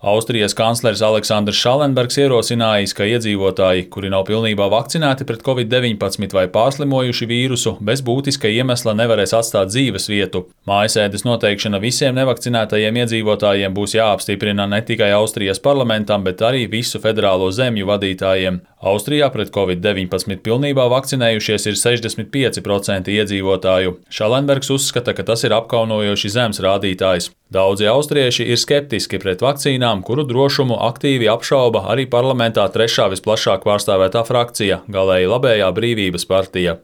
Austrijas kanclers Aleksandrs Šallenbergs ierosinājis, ka iedzīvotāji, kuri nav pilnībā vakcinēti pret Covid-19 vai pārslimojuši vīrusu, bez būtiska iemesla nevarēs atstāt dzīves vietu. Mājasēdes noteikšana visiem nevakcinētajiem iedzīvotājiem būs jāapstiprina ne tikai Austrijas parlamentam, bet arī visu federālo zemju vadītājiem. Austrijā pret Covid-19 pilnībā vakcinējušies ir 65% iedzīvotāju. Šallenbergs uzskata, ka tas ir apkaunojoši zems rādītājs. Daudzi austrieši ir skeptiski pret vakcīnām, kuru drošumu aktīvi apšauba arī parlamentā trešā visplašāk pārstāvētā frakcija – galēji labējā Brīvības partija.